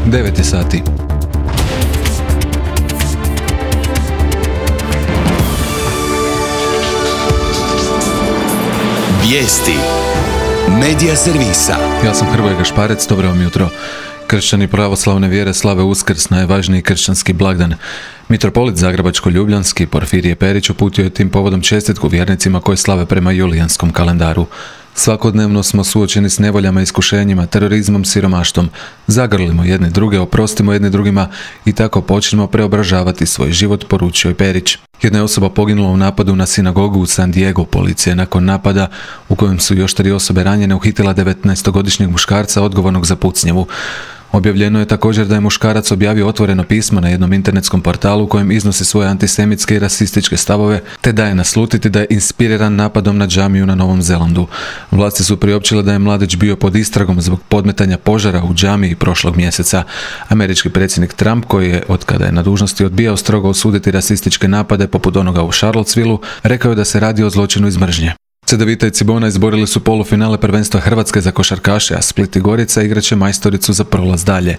9 je sati. Vijesti Medija servisa. Ja sam Hrvoje Gašparec, dobro vam jutro. Kršćani pravoslavne vjere slave Uskrs, najvažniji kršćanski blagdan. Mitropolit Zagrebačko-ljubljanski Porfirije Perić uputio je tim povodom čestitku vjernicima koji slave prema julijanskom kalendaru. Svakodnevno smo suočeni s nevoljama, iskušenjima, terorizmom, siromaštvom. Zagrlimo jedne druge, oprostimo jedne drugima i tako počnemo preobražavati svoj život, poručio je Perić. Jedna je osoba poginula u napadu na sinagogu u San Diego. Policija je nakon napada, u kojem su još 3 osobe ranjene, uhitila 19-godišnjeg muškarca odgovornog za pucnjavu. Objavljeno je također da je muškarac objavio otvoreno pismo na jednom internetskom portalu u kojem iznosi svoje antisemitske i rasističke stavove, te daje naslutiti da je inspiriran napadom na džamiju na Novom Zelandu. Vlasti su priopćile da je mladić bio pod istragom zbog podmetanja požara u džamiji prošlog mjeseca. Američki predsjednik Trump, koji je od kada je na dužnosti odbijao strogo osuditi rasističke napade poput onoga u Charlottesvilleu, rekao je da se radi o zločinu iz mržnje. Cedevita i Cibona izborili su polufinale prvenstva Hrvatske za košarkaše, a Split i Gorica igraće majstoricu za prolaz dalje.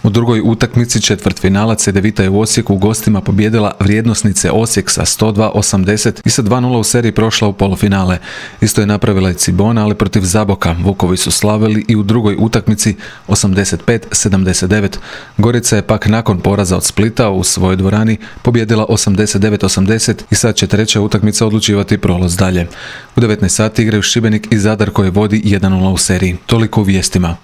U drugoj utakmici četvrtfinala Cedevita je u Osijeku u gostima pobijedila vrijednosnice Osijek sa 102-80 i sa 2-0 u seriji prošla u polufinale. Isto je napravila i Cibona, ali protiv Zaboka. Vukovi su slavili i u drugoj utakmici 85-79. Gorica je pak nakon poraza od Splita u svojoj dvorani pobijedila 89-80 i sad će treća utakmica odlučivati prolaz dalje. U 19 sati igraju Šibenik i Zadar koji vodi 1-0 u seriji. Toliko u vijestima.